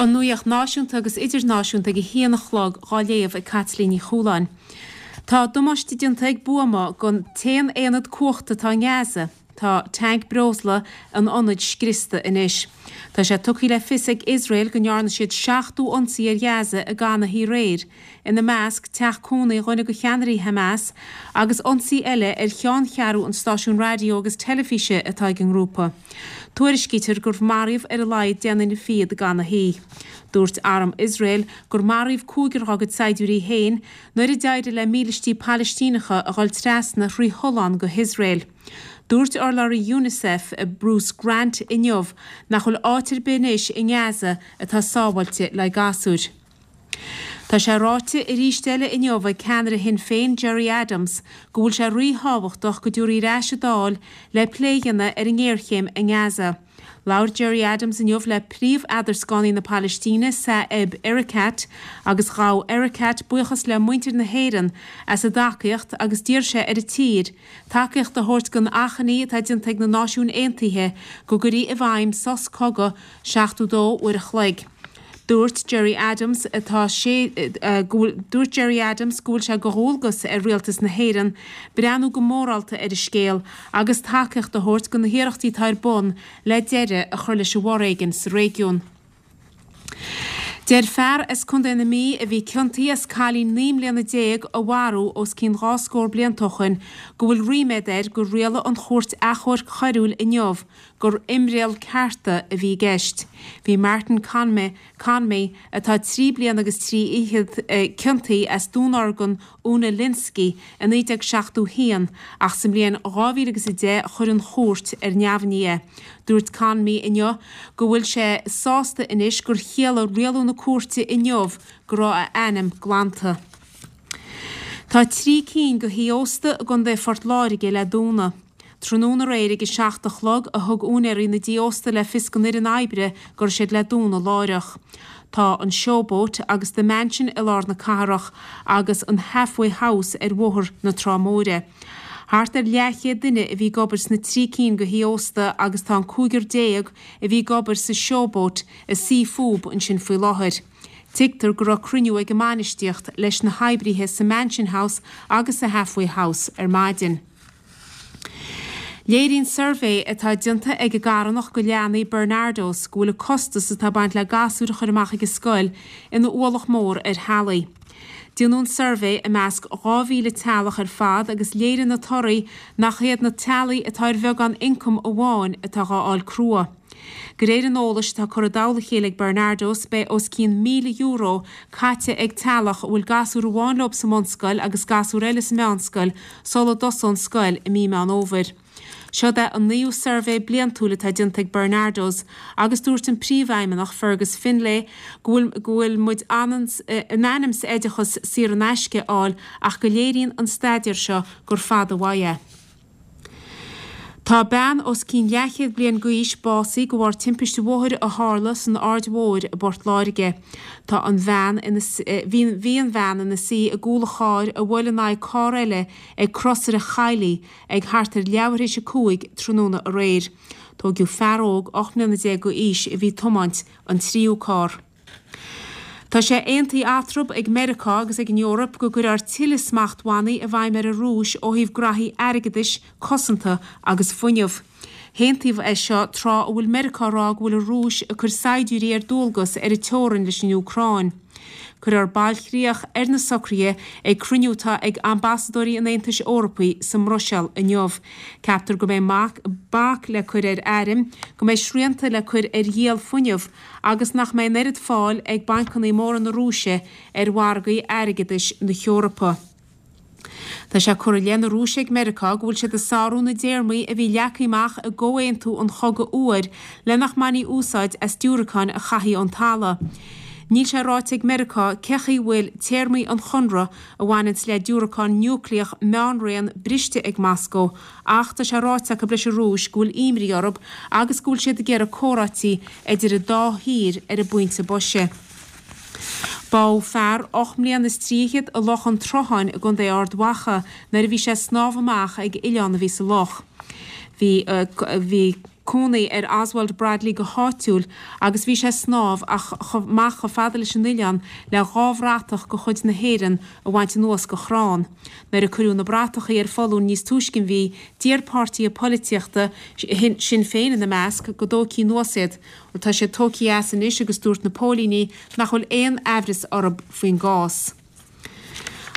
An nuacht náisiúnta agus idirnáisiúnta ag a haon a chlog dhá léamh ag Caitlín Ní Chualáin. Tá damáiste déanta ag buama don t-aon aonad cumhachta atá i nGaza. Tá tanc breosla an ionaid scriosta anois. Tá sé tugtha le fios ag Iosrael go ndearna siad 70 ionsaí ar Ghaza i gcaitheamh na hoíche aréir, ina measc, teach cónaí dhuine de cheannairí Hamas agus ionsaí eile ar cheanncheathrú an stáisiúin raidió agus teilifíse atá ag an ngrúpa. Tuairiscítear gur maraíodh ar a laghad 10 nduine fichead i gcaitheamh na hoíche. Dúirt arm Iosrael gur maraíodh cúigear dá gcuid saighdiúirí féin nuair a d'éirigh le mílístí Palaistíneacha a dhul trasna thrí thollán go hIosrael. Dúirt urlabhraí Unicef, Bruce Grant inniu nach bhfuil áit ar bith anois i nGaza atá sábháilte le gasúir. Tá sé ráite arís eile inniu ag ceannaire Shinn Féin Gerry Adams go bhfuil sé ríthábhachtach go dtabharfaí ar ais an Dáil le plé a dhéanamh ar an ngéarchéim i nGaza. Labhair Gerry Adams inniu le príomh-eadarscánaí na Palaistíne Saeb Erekat agus ghabh Erekat buíochas le muintir na hÉireann as a dtacaíocht agus d'iarr sé ar an tír tacaíocht a thabhairt don achainí atá déanta ag na Náisiúin Aontaithe go gcuirfí i bhfeidhm sos cogaidh 72 uair a chloig. Dúirt Gerry Adams atá sé go bhfuil Dúirt Gerry Adams go bhfuil sé de dhualgas ar Rialtas na hÉireann breathnú go mórálta ar an scéal agus tacaíocht a thabhairt do na hiarrachtaí atá ar bun le deireadh a chur leis an bhforéigean sa réigiún. Deir fear as Contae na Mí a bhí ciontaithe as cailín 19 mbliana a mharú os cionn dhá scór blianta ó shoin go bhfuil ríméad air gur rialaigh an Chúirt Achomhairc Choiriúil inniu gur imdhriall cearta a bhí i gceist. Bhí Martin Conmey, Conmey, atá trí bliana agus trí fhichead, ciontaithe as dúnorgain Úna Lynskey i 1971 ach sa mbliain 2010 chuir an chúirt ar neamhní é. Dúirt Conmey inniu go bhfuil sé sásta anois gur chiallaigh rialú na cúirte inniu go raibh a ainm glanta. Tá trí cinn de thithe ósta i gContae Phort Láirge le dúnadh. Tráthnóna aréir ag a 7 a chlog a thug úinéirí na dtithe ósta le fios don fhoireann oibre go raibh siad le dúnadh láithreach. Tá an Showboat agus The Mansion i lár na cathrach agus an Halfway House ar Bhóthar na Trá Móire. Thart ar leathchéad duine a bhí ag obair sna trí cinn de thithe ósta agus tá an cúigear a bhí ag obair sa Showboat ag suí fúb ansin faoi láthair. Tuigtear go raibh cruinniú ag an mbainistíocht leis na hoibrithe sa Mansion House agus sa Halfway House ar maidin. Léiríonn suirbhé atá déanta ag an gcarthanacht do leanaí Barnardos go bhfuil an costas atá ag baint le gasúir a chur amach ag an scoil ina ualach mór ar theaghlaigh. Déanadh an suirbhé i measc 2,000 teaghlach ar fad agus léirigh na torthaí nach iad na teaghlaigh atá ar bheagán ioncaim amháin atá dhá fháil crua. De réir an eolais atá curtha i dtoll a chéile ag Barnardos, beidh os cionn €1,000 caite ag teaghlach a bhfuil gasúr amháin leo sa mbunscoil agus gasúr eile sa meánscoil sula dtosóidh an scoil i mí Meán Fhómhair. Seod é an naoú suirbhé bliantúil atá déanta ag Barnardos agus dúirt an príomhfheidhmeannach Fergus Finlay go bhfuil go bhfuil muid in ainm 's oideachas saor in aisce a fháil ach go léiríonn an staidéar seo gur fada uaidh é. Tá bean os cionn leathchéad bliain d'aois básaithe de bharr timpiste bhóthair a tharla san Aird Mhóir i bPort Láirge. Tá an bhean ina bhí bhí an bhean ina suí i gcúl a chairr a bhuail in aghaidh carr eile ag Crosaire Choilligh ag thart ar leathuair théis 5 tráthnóna aréir. Tóigeadh fear óg 18 mbliana d'aois a bhí ag tiomáint an tríú carr. Tá sé aontaithe eatarthu ag Meiriceá agus ag an Eoraip go gcuirfear tuilleadh smachtbhannaí i bhfeidhm ar an Rúis ó thaobh graithí airgeadais, cosanta agus fuinnimh. Haontaíodh é seo tráth a bhfuil Meiriceá ag rá go bhfuil an Rúis ag cur saighdiúirí ar dualgas ar an teorainn leis an Úcráin. Cuirfear bailchríoch ar na socruithe ag cruinniú atá ag ambasadóirí an Aontais Eorpaigh sa mBruiséil inniu. Ceaptar go mbeidh bac le cur ar airm, go mbeidh srianta le cur ar dhíol fuinnimh, agus nach mbeidh an oiread fáil ag bancanna móra na Rúise ar mhargaí airgeadais na hEorpa. Tá sé curtha i leith na Rúise ag Meiriceá go bhfuil siad ag sárú na dtéarmaí a bhí leagtha amach i gComhaontú an Chogaidh Fhuair le nach mbainfí úsáid as diúracáin a chaithfí ón talamh. Níl sé ráite ag Meiriceá cé chaoi a bhfuil téarmaí an chonradh a bhaineanns le diúracán núicléach meánraon briste ag Moscó Ach tá sé ráite acu leis an Rúis go bhfuil imní orthu agus go bhfuil siad ag iarraidh comhráití idir an dá thír ar an bpointe boise. Bádh fear 8 mbliana is trífhichead i Loch an tSrutháin i gContae Ard Mhacha nuair a bhí sé ag snámh amach ag oileán a bhí sa loch. Bhí. Bhí. Cónaí ar Oswald Bradley go háitiúil agus bhí sé ag snámh amach chomh fada leis an oileán le 2 bhratach de chuid na hÉireann a bhaint anuas de chrann. Nuair a cuireadh na bratachaí ar foluain níos túisce an mhí, d'iarr páirtithe polaitíochta, Sinn Féin ina measc, go dtógfaí anuas iad. Bhuel, tá siad tógtha as anois agus dúirt na póilíní nach bhfuil aon aimhreas orthu faoin gcás.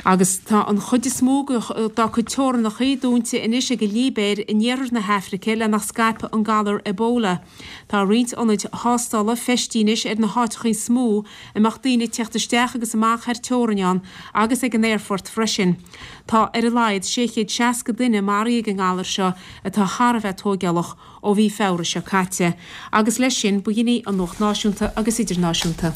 Agus tá an chuid is mó dá cuid teorannachaí dúnta anois ag an Libéir in iarthar na hAfraice le nach scaipfeadh an galar Ebola. Tá roinnt ionaid thástála feistithe anois ar na háiteachaí is mó a mbeadh daoine ag teacht isteach agus amach thar teorainn ann agus ag an aerfort freisin. Tá ar a laghad 660 duine maraithe ag an ngalar seo atá thar a bheith tóigeálach ó mhí Feabhra seo caite. Agus leis sin, b'shin í an Nuacht Náisiúnta agus Idirnáisiúnta.